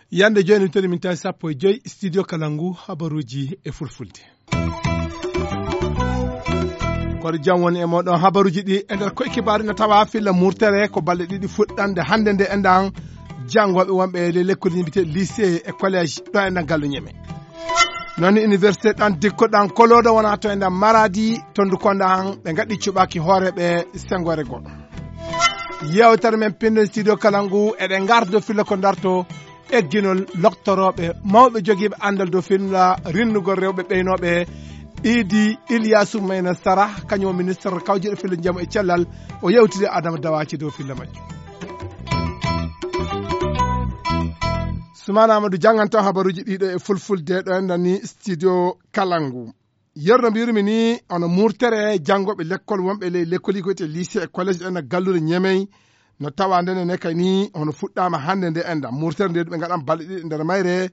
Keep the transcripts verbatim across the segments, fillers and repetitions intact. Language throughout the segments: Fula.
Yande jooni, toni min tawi sappo e joy studio Kalangu, habaruuji e fulfulde. Koɗo jam woni e mooɗon. Habaruuji ɗi e nder koye kibaaru, ina tawa filla murtere ko balɗe ɗiɗi fuɗɗande hannde nde enɗan janngooɓe wonɓe e ley lekkolji mbiyetee lycée e collège ɗo enɗan galle Ñeme. Noon université ɗan dikko ɗan koloodo wona to enɗan Maradi, to Ndukonda han, ɓe ngaɗi cuɓaaki hooreeɓe senngoore goo. Yeewtere men pinndo studio Kalangu, eɗen ngardo filla ko darto egginol loktorooɓe mawɓe jogiiɓe anndal dow filla rinnugol rewɓe ɓeynooɓe. Idi Ilyasu Mayna Sara, kañum o ministre kawjiiɗo filla njamu e cellal, o yewtidi Adama Dawaci dow filla majjum. Sumana Amadou jannganto habaruuji ɗiɗo e fulfulde ɗo enɗan ni studio Kalangu. Yerno mbiyirmi ni, hono murtere janngooɓe lekkol wonɓe ley lekkoli ko wiyetee lycée e collège ɗen e galluure Ñemey, no tawa ndene ne kay ni hono fuɗɗaama hannde nde enɗan. Murtere nde ɓe ngaɗan balɗe ɗiɗi e nder mayre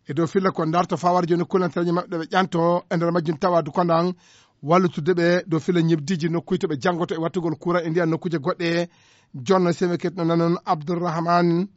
e dow filla ko darto fawar jooni kulantareeji maɓɓe ɗe ɓe ƴanto e nder majjum tawa du kondan wallutude ɓe dow filla ñibdiiji nokkuuji to ɓe janngoto e wattugol courant e ndiyan nokkuuje goɗɗe. Jonno seme ket no nanon Abdourahmane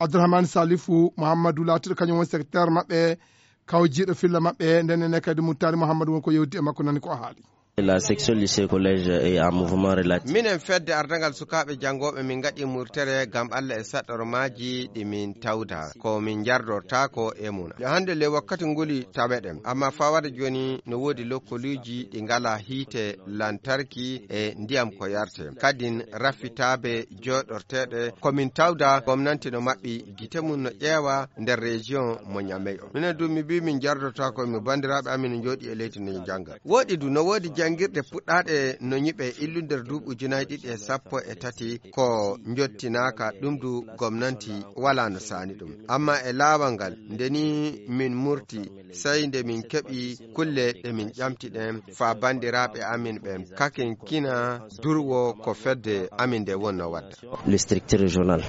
Abdourahmane Salifou Mouhamadou laatiiɗo kañum woni secrétaire maɓɓe, kawjiiɗo filla maɓɓe, nden ne kadi Moutari Mouhamadou woni ko yewti e makko, nani ko o haali. La section lycée collège est en mouvement relatif. Minen fedde ardangal sukaaɓe janngooɓe, min ngaɗi murtere ngam Allah e saɗɗormaaji ɗi min tawda. Ko min njardortaako e mum. Yo hannde le wakkati nguli taweɗen. Amma fawade jooni no woodi lokkoliiji ɗi ngalaa hiite lantarki e ndiyam ko yarte. Kadin raffitaabe jooɗorteeɗe ko min tawda gomnanti no maɓɓi gite mum no ƴeewa nder région mo Ñamey o. Minen du mi mbii min njardortaako mi banndiraaɓe amin no njooɗi e leydi no njannga. Woɗi du no woodi janngirɗe puɗɗaaɗe no ñiɓe illu nder duuɓi ujunaaji ɗiɗi e sappo e tati ko njottinaaka ɗum du gomnanti walaa no saani ɗum. Amma e laawal ngal nde ni min murti sey nde min keɓi kulle ɗe min ƴamti ɗen faa banndiraaɓe amin ɓen kaken kina durwo ko fedde amin nde wonno wadda. Le strict régional.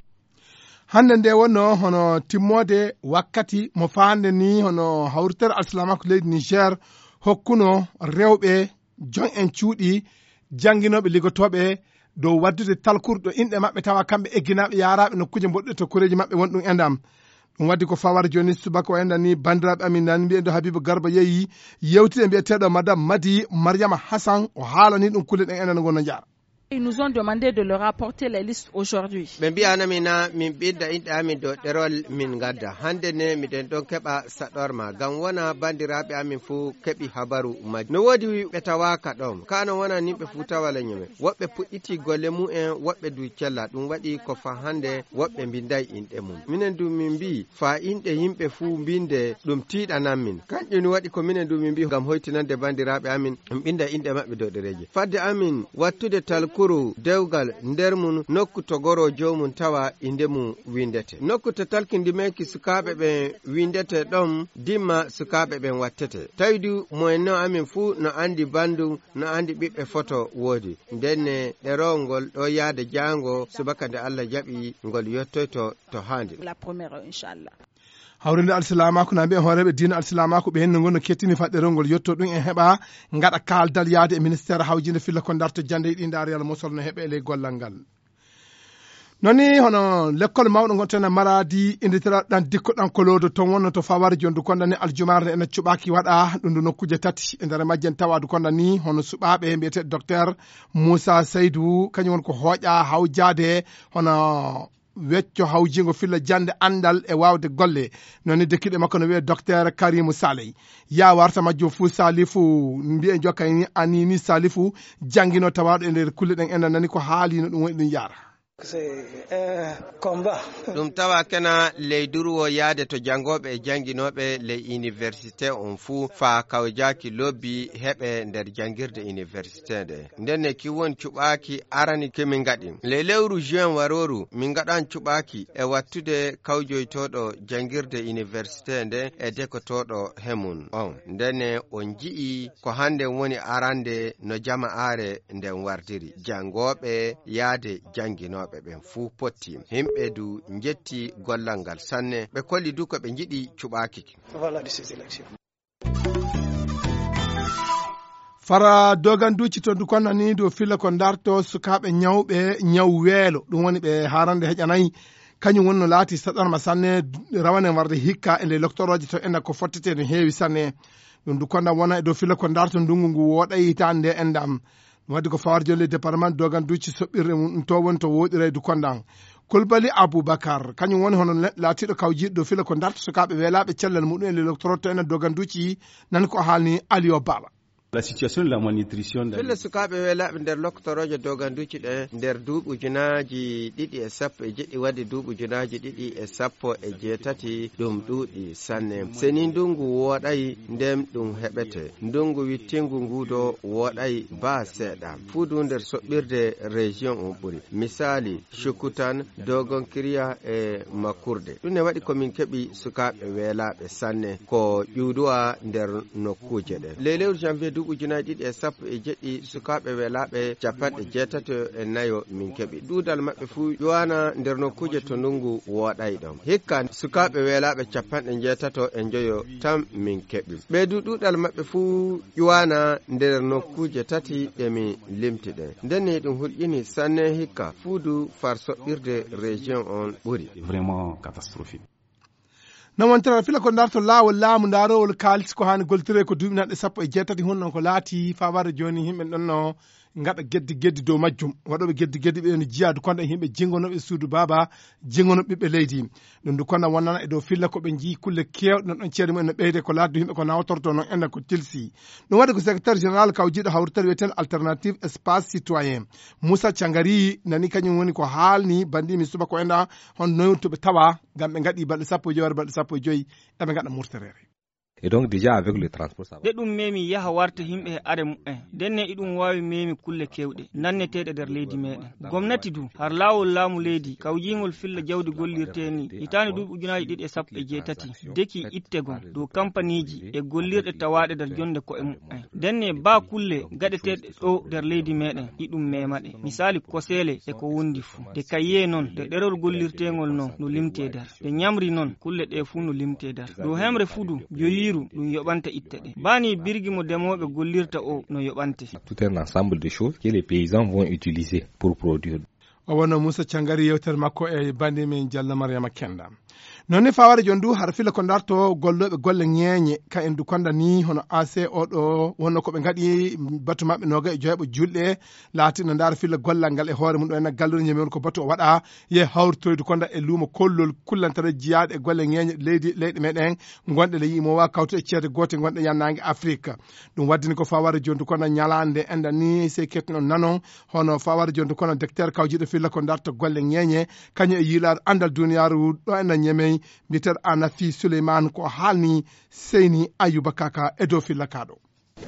Hannde nde wonno hono timmoode wakkati mo faande ni hono hawritere alsilaamaaku leydi Niger hokkuno rewɓe jon en cuuɗi jannginooɓe liggotooɓe dow waddude talkuru ɗo inɗe maɓɓe tawa kamɓe egginaaɓe yaaraaɓe nokkuuje mboɗɗe to koreeji maɓɓe won ɗum enɗam. Ɗum waddi ko fawar jooni subaka o enɗan ni banndiraaɓe amin nan mbiyen ɗo Habibu Garba yeeyi yewtide mbiyeteeɗo Madame Madi Mariama Hassan o haalani ɗum kulle ɗen enɗan ngonno njaara. Ils nous ont demandé de leur apporter les listes aujourd'hui. Ɓe mbiyanami na min ɓinda inɗe amin dow ɗerol min ngadda. Hannde ne miɗen ɗon keɓa saɗorma. Ngam wona banndiraaɓe amin fuu keɓi habaru majji. No woodi ɓe tawaaka ɗon. Kaa no wona nimɓe fuu tawa leño men. Woɓɓe puɗɗiti golle mumen, woɓɓe du cella. Ɗum waɗi ko faa hannde woɓɓe mbinday inɗe mum. Minen du min mbii, faa inɗe yimɓe fuu mbinde, ɗum tiiɗanan min. Kanƴum waɗi ko minen du min mbii ngam hoytinande banndiraaɓe amin, min ɓinda inɗe maɓɓe dow ɗereeji. Fadde amin wattude talkuru dewgal nder mum nokku to goroo joomum tawa innde mum winndete. Nokku to talki ndimeeki sukaaɓe ɓen winndete ɗon dimma sukaaɓe ɓen wattete. Tawi du moyenno amin fuu no anndi banndum, no anndi ɓiɓɓe foto woodi. Ndenne ɗerowol ngol ɗo yaade jaango subaka nde Allah jaɓi ngol yottoyto to haandi. La première, inchallah. Hawrinde alsilaamaaku na mbiya hooreeɓe diina alsilaamaaku ɓe henno ngonno kettini faɗɗerol ngol yotto ɗum en heɓa ngaɗa kaaldal yaade e ministeer hawjinde filla ko darto jannde e ɗi ndaari yalla mosol no heɓe e ley gollal ngal. Noon ni hono lekkol mawɗo ngon tena Maradi inditera ɗan dikko ɗan koloodo ton wonno to fawari jondu kon ɗan ni aljumaare ena cuɓaaki waɗa ɗum ɗo nokkuuje tati e nder majjen tawadu kon ɗan ni hono suɓaaɓe mbiyete docteur Moussa Seydou kañum woni ko hooƴa hawjaade hono wecco hawjiingo filla jannde anndal e waawde golle. Noon ni dekkiiɗo makko no wiyee docteur Karimu Saley. Yaa warta majjum fuu Salifu mbiye jokka ni Anini Salifu janngino tawaaɗo e nder kulle ɗen enen nani ko haali no ɗum woni ɗum yaara. Ɗum tawa kena ley durwo yaade to janngooɓe e jannginooɓe ley iniversite on fuu faa kawjaaki lobbi heɓe nder janngirde iniversite nde. Ndenne ki won cuɓaaki arani ki min ngaɗi. Ley lewru juin warooru min ngaɗan cuɓaaki e wattude kawjoytooɗo janngirde iniversite nde e dekotooɗo he mum on. Ndenne on nji'i ko hannden woni arande no jama'aare nden wardiri. Janngooɓe yaade jannginooɓe ɓen fuu potti. Himɓe du njetti gollal ngal sanne. Ɓe kolli du ko ɓe njiɗi cuɓaaki ki. Para doganduuci to Dukonda ni dow filla ko ndarto sukaaɓe ñawɓe ñaw weelo, ɗum woni ɓe haarande heƴanayi. Kañum woni no laati saɗarma sanne, rawane warde hikka e nde loktorooje to enda ko fottete no heewi sanne. Ɗum Dukonda wona e dow filla ko ndarto ndungu ngu wooɗa hitaande nde enda. Ɗum waɗi ko fawar jonde département doganduuci soɓɓirde mum ɗum to woni to wooɗira e Dukonda. Kulbali Abubakar, kañum woni hono ne-, laatiiɗo kawjiiɗo dow filla ko ndarto sukaaɓe weelaaɓe cellal muɗum e le loktorooje to enda doganduuci, nan ko haalni Aliyo Baba. La situation de la malnutrition dans Fille sukaaɓe weelaaɓe nder loktorooje doganduuci ɗe nder duuɓi ujunaaji ɗiɗi e sappo e jeɗɗi wadde duuɓi ujunaaji ɗiɗi e sappo e jeetati ɗum ɗuuɗi sanne. Seni ndungu wooɗay ndem ɗum heɓete. Ndungu wittingu ngudo wooɗay ba seeɗa. Fuudu nder soɓɓirde région on ɓuri. Misaali, Shukutan, Dogon Kiriya e Makurde. Ɗum ne waɗi ko min keɓi sukaaɓe weelaaɓe sanne ko ƴuuduwa nder nokkuuje ɗe. Ley lewru janvier duuɓi ujunaaji ɗiɗi e sappo e jeɗɗi sukaaɓe weelaaɓe capanɗe jeetato e nayo min keɓi. Ɗuuɗal maɓɓe fuu ƴuwaana nder nokkuuje to ndungu wooɗay ɗon. Hikka sukaaɓe weelaaɓe capanɗe jeetato e njoyo tan min keɓi. Ɓeydu ɗuuɗal maɓɓe fuu ƴuwaana nder nokkuuje tati ɗe mi limti ɗen. Nden ne ɗum hulƴini sanne hikka fuudu far soɓɓirde région on ɓuri. Vraiment catastrophique. No wontira fila ko ndarto laawol laamu ndaarowol kaalis ko haani goltire ko duuɓi naɗɗe sappo e jeetati honno ko laati faware jooni yimɓe ɗon no ngaɗa geddi geddi dow majjum. Waɗooɓe geddi geddi ɓe no jiyaadu konda yimɓe jingonooɓe suudu baaba, jingonooɓe ɓiɓɓe leydi. Ɗum du konda wonnana e dow filla ko ɓe njii kulle keewɗe no ɗon ceede mumen no ɓeyde ko laaddu yimɓe ko nawtorto noon enda ko tilsi. Ɗum waɗi ko secrétaire général kawjiiɗo hawrital wiyeten Alternative Espace Citoyen. Moussa Thiangari nani kañum woni ko haalni banndi mi suba ko enda hon noyun to ɓe tawa ngam ɓe ngaɗi balɗe sappo e joyi wara balɗe sappo e joyi eɓe ngaɗa murterere. Et donc déjà avec le transport ça va. De ɗum memi yaha warta yimɓe he are mumen. Denne iɗum waawi memi kulle kewɗe nanneteeɗe nder leydi meɗen. Gomnati du har laawol laamu leydi kawjiingol filla jawdi gollirte ni hitaande duuɓi ujunaaji ɗiɗi e sappo e jeetati deki ittegol dow kampaniiji e gollirɗe tawaaɗe nder jonde ko'e mumen. Denne baa kulle gaɗeteeɗe ɗo nder leydi meɗen iɗum mema ɗe. Misaali koseele e ko wondi fuu. De kayye noon, de ɗerol gollirteengol noon no limte nder. De ñamri noon, kulle ɗe fuu no limte nder. Dow hemre fudu, joyiiru, ɗum yoɓanta itte ɗe. Baa ni birgi mo demooɓe gollirta o no yoɓante. Tout un ensemble de choses que les paysans vont utiliser pour produire. O wonno Moussa Thiangari yewtere makko e bandi men Diallo Mariama Kenda. Noon ni faware jon du har fila ko ndarto gollooɓe golle ŋeeñe ka en du konda ni hono A C oɗo wonno ko ɓe ngaɗi batu maɓɓe noga e joyɓo julɗe laati no ndaara filla gollal ngal e hoore mum ɗo ena gallude ñamewol ko batu o waɗa ye hawritoyde konda e luumo kollol kullantare jiyaaɗe e golle ŋeeñe leydi leyɗe meɗen gonɗe le yimowa kawtu e ceede goote gonɗe yannaange Afrique. Ɗum waddini ko faware jondu kono ñalaande enda ni sey kettuno nanon hono faware jondu kono docteur kawjiɗo filla ko darta golle ŋeeñe kañum e yiilaade andal duniyaaru ɗo ena ñemey mbiyeteeɗo Anafi Souleymane ko haalni Seyni Ayuba Kaka e dow filla kaɗo.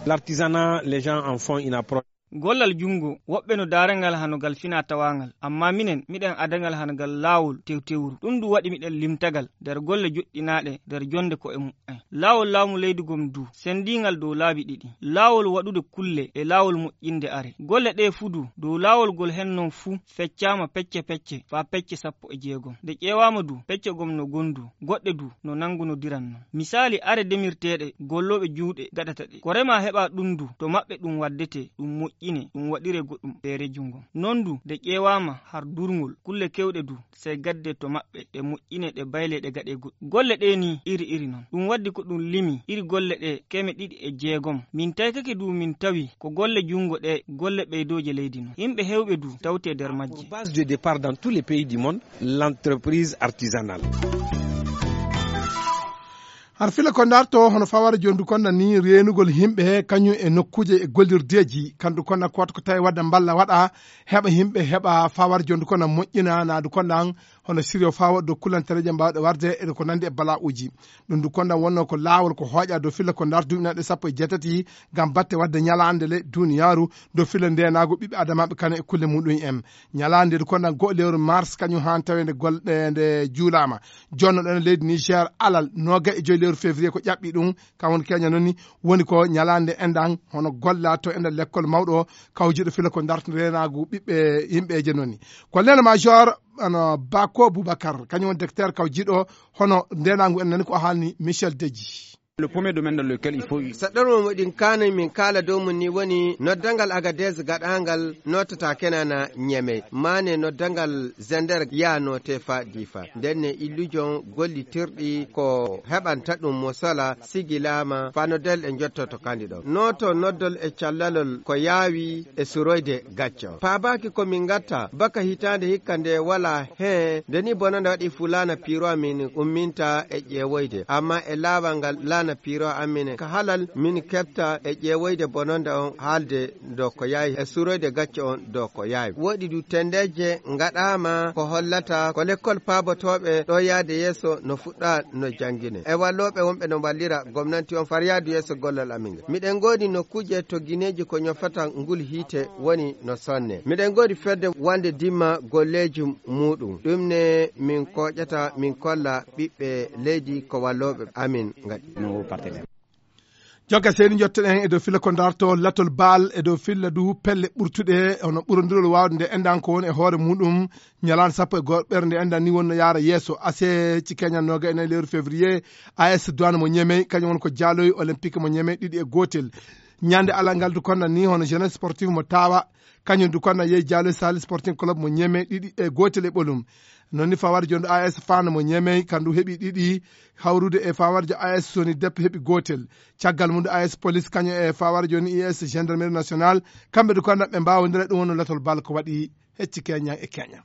L'artisanat, les gens en font une approche. Gollal junngo, woɓɓe no daara ngal hano ngal finaa-tawaa ngal, ammaa minen, miɗen ada ngal hano ngal laawol tewtewru. Ɗum du waɗi miɗen limta ngal nder golle joɗɗinaaɗe nder jonnde ko'e mumen. Laawol laamu leydi gom du, senndiingal dow laabi ɗiɗi. Laawol waɗude kulle e laawol moƴƴinde are. Golle ɗee fuu du, dow laawol ngol hen non fuu, feccaama pecce-pecce faa pecce sappo e jeegom. Nde ƴeewaama du, pecce gom no gondu, goɗɗe du no nanngunodiran non. Misaali, are demirteeɗe, gollooɓe juuɗe gaɗata ɗe. Ko remaa heɓaa ɗum du, to maɓɓe ɗum waddetee, ɗum moƴƴinee, ɗum waɗiree goɗɗum feere junngo. Non du, nde ƴeewaama har durngol, kulle keewɗe du, sey gaddee to maɓɓe, ɗe moƴƴinee, ɗe baylee, ɗe gaɗee goɗɗum. Golle ɗee nii iri iri non. Ɗum waddi ko ɗum limi iri golle ɗee keme ɗiɗi e jeegom. Min taykake du min tawi ko golle junngo ɗee golle ɓeydooje leydi non. Yimɓe heewɓe du tawtee nder majje. Base de départ dans tous les pays du monde, l'entreprise artisanale. Har fila ko ndarto hono fawara jondu konna ni reenugol yimɓe kañum e nokkuuje e gollirdeeji kandu konna ko wata ko tawi wadda mballa waɗa heɓa yimɓe heɓa fawara jondu konna moƴƴina naadu kondan hono siryo faa waɗa dow kulantareeje mbaawɗe warde e ko nanndi e bala'uuji. Ɗum du kondan wonnoo ko laawol ko hooƴa dow filla ko ndarto duuɓi naɗe sappo e jeetati ngam batte waɗde ñalaande le duniyaaru dow filla ndeenaagu ɓiɓɓe adamaaɓe kane e kulle muɗum en. Ñalaande nde kondan go'o lewru mars kañum haan taweende golɗe nde juulaama. Jonno ɗon e leydi Niger alal nooga e joyi lewru février ko ƴaɓɓi ɗum kam woni keña noon ni woni ko ñalaande endan hono golla to enda lekkol mawɗo kawjiɗo fila ko ndarto reenaagu ɓiɓɓe yimɓeeje noon ni. Colonel major ano Bako Boubacar kañum woni docteur kawjiɗo hono ndenaangu en nani ko o haalni Michel Deji. Le premier domaine dans lequel il faut Saɗɗormo moɗin kaanoy min kaala dow mum ni woni noddangal Agadez gaɗaangal nootata Kenana Ñemey. Maane noddangal Zender yaa noote faa Diifa. Nden ne illujon gollitirɗi ko heɓanta ɗum mo sola sigilaama faa noddal e njottoto kandi ɗon. Nooto noddol e callalol ko yaawi e suroyde gacco. Paabaaki ko min ngatta baka hitaande hikka nde walaa heen nde ni bonanda waɗi fu laana piiro amin umminta e ƴeewoyde. Amma e laawal ngal laana piiro amin ka halal min keɓta e ƴeewoyde bononda on haalde do ko yaawi e suroyde gacce on do ko yaawi. Woɗi du tendeeje ngaɗaama ko hollata ko lekkol paabotooɓe ɗo yaade yeeso no fuɗɗa no janngine. E wallooɓe wonɓe no wallira gomnanti on far yaadu yeeso gollal amin ngal. Miɗen ngoodi nokkuuje to gineeji ko ñofata ngul hiite woni no sonne. Miɗen ngoodi fedde wande dimma golleeji muuɗum. Ɗum ne min kooƴata min kolla ɓiɓɓe leydi ko wallooɓe amin ngaɗi. Jonka seydi, njottoɗen e dow filla ko darto latol baal e dow filla du pelle ɓurtuɗe hono ɓurondirol waawde nde endan ko woni e hoore muɗum ñalaande sappo e goho ɓernde endan ni wonno yaara yeeso ase ci keñan noga e nayi lewru février. A S Douane mo Ñemey kañum woni ko jaaloyi olympique mo Ñemey ɗiɗi e gootel. Ñande alal ngal du konda ni hono jeunesse sportive mo tawa kañum du konda yehi jaaloyi sali sporting club mo Ñemey ɗiɗi e gootel e ɓolum. Noon ni fawarjo ndu A S Fana mo Ñemey kandu heɓi ɗiɗi hawrude e fawarjo A S Soni Deppe heɓi gootel. Caggal mum A S Police kañum e fawarjo ni U S Gendarmerie Nationale kamɓe du konda ɓe mbawodira ɗum wonno latol bal ko waɗi hecci keñan e keñan.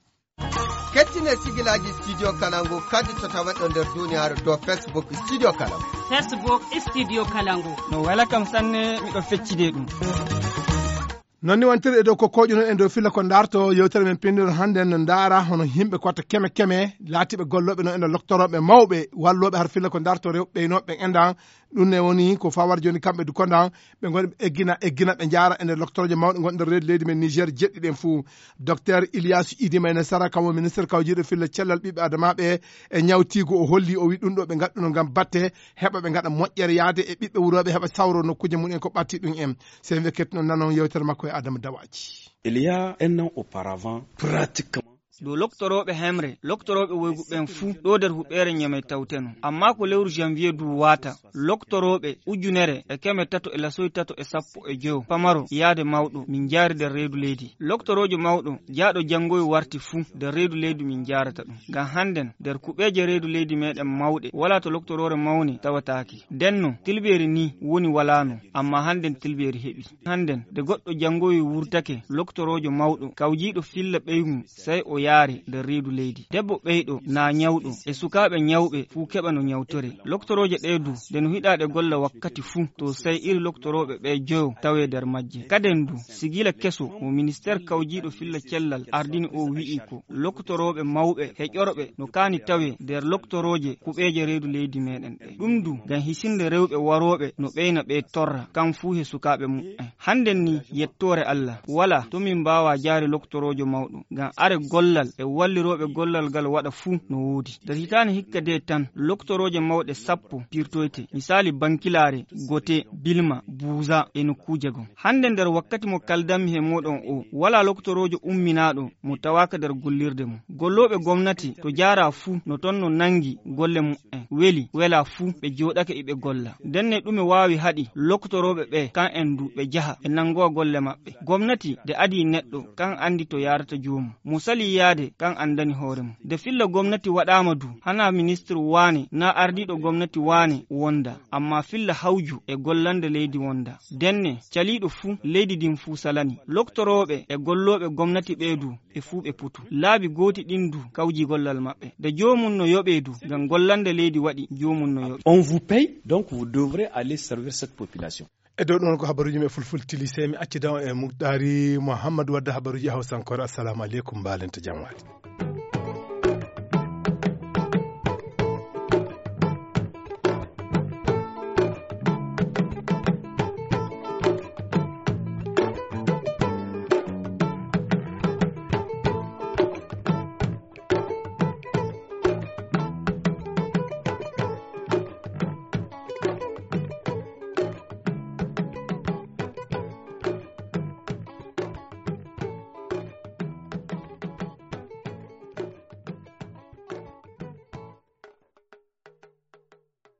Kettine sigilaaji Studio Kalangu kadi to tawa ɗo nder duniyaaru dow Facebook Studio Kalangu. Facebook Studio Kalangu. No wela kam sanne, miɗo feccide ɗum. Noon ni wontirde e dow ko koƴuno e dow filla ko darto yewtere men pinndiro hannde no ndaara hono yimɓe kotta keme keme laatiiɓe gollooɓe no e nder loktorooɓe mawɓe wallooɓe har filla ko darto rewɓe ɓeynooɓe ɓen endan. Ɗum ne woni ko fawar jooni kamɓe du kondan ɓe ngoni ɓe eggina eggina ɓe njaara e nder loktorooje mawɗe ngon nder reedu leydi men Niger jeɗɗi ɗen fuu. Docteur Ilias Idi Mayne Sara kam o ministre kawjiiɗo filla cellal ɓiɓɓe adamaaɓe e ñawtiigu o holli o wi ɗum ɗo ɓe ngaɗɗuno ngam batte heɓa ɓe ngaɗa moƴƴere yaade e ɓiɓɓe wurooɓe heɓa sawro nokkuuje mum en ko ɓatti ɗum en. Sey ɓe kettuno nanon yewtere makko e Adama Dawaji. Il y a un an auparavant, pratiquement. Ɗo loktorooɓe hemre loktorooɓe woygu ɓen fuu ɗo nder huɓeere ñamey tawteno. Amma ko lewru janvier du waata loktorooɓe ujunere e keme tato e lasoy tato e sappo e joyo pamaro yaade mawɗo min njaari nder reedu leydi. Loktoroojo mawɗo jaaɗo janngoyo warti fuu nder reedu leydi min njaarata ɗum. Ngam hannden nder kuɓeeje reedu leydi meɗen mawɗe walaa to loktoroore mawne tawataake. Ndenno tilbeeri ni woni walaano, amma hannden tilbeeri heɓi. Hannden nde goɗɗo janngoyo wurtake loktoroojo mawɗo kawjiiɗo filla ɓeygu sey o yaare nder reedu leydi. Debbo ɓeyɗo naa ñawɗo e sukaaɓe ñawɓe fuu keɓa no ñawtore. Loktorooje ɗee du nde no hiɗaa ɗe golla wakkati fuu to sey iri loktorooɓe ɓee joyo tawee nder majje. Kaden du sigila keso mo ministeer kawjiiɗo filla cellal ardini o wi'i ko loktorooɓe mawɓe heƴorɓe no kaani tawee nder loktorooje kuɓeeje reedu leydi meɗen ɗe. Ɗum du ngam hisinde rewɓe warooɓe no ɓeyna ɓee torra kam fuu he sukaaɓe muɓɓen. Hannden ni yettoore Allah walaa to min mbaawaa jaari loktoroojo mawɗo ngam are gollal e wallirooɓe gollal ngal waɗa fuu no woodi. Nder hitaande hikka de tan loktorooje mawɗe sappo pirtoyte misaali Bankilaare, Gote, Bilma, Buuza e nokkuuje goo. Hannde nder wakkati mo kaldanmi he mooɗon o walaa loktoroojo umminaaɗo mo tawaaka nder gollirde mum. Gollooɓe gomnati to jaaraa fuu no toon no nanngi golle mum en weli welaa fuu ɓe jooɗake iɓe golla. Ndenne ɗume waawi haɗi loktorooɓe ɓee kan en du ɓe jaha ɓe nanngowa golle maɓɓe. Gomnati nde adii neɗɗo kan anndi to yaarata joomum. Mo salii yaade kan anndani hoore mum. Nde filla gomnati waɗaama du hanaa ministir waane naa ardiiɗo gomnati waane wonda, amma filla hawju e gollande leydi wonda. Ndenne caliiɗo fuu leydi ndin fuu salani. Loktorooɓe e gollooɓe gomnati ɓee du ɓe fuu ɓe potu. Laabi gooti ɗin du kawji gollal maɓɓe. Nde joomum no yoɓee du ngam gollande leydi waɗi joomum no yoɓee. On vous paye, donc vous devrez aller servir cette population. E dow ɗon ko habaruuji men fulfulde tili sey mi accida on e Muktaari Muhammad wadda habaruuji hawsankoore. Assalamu aleykum, mbaalenta jam waali.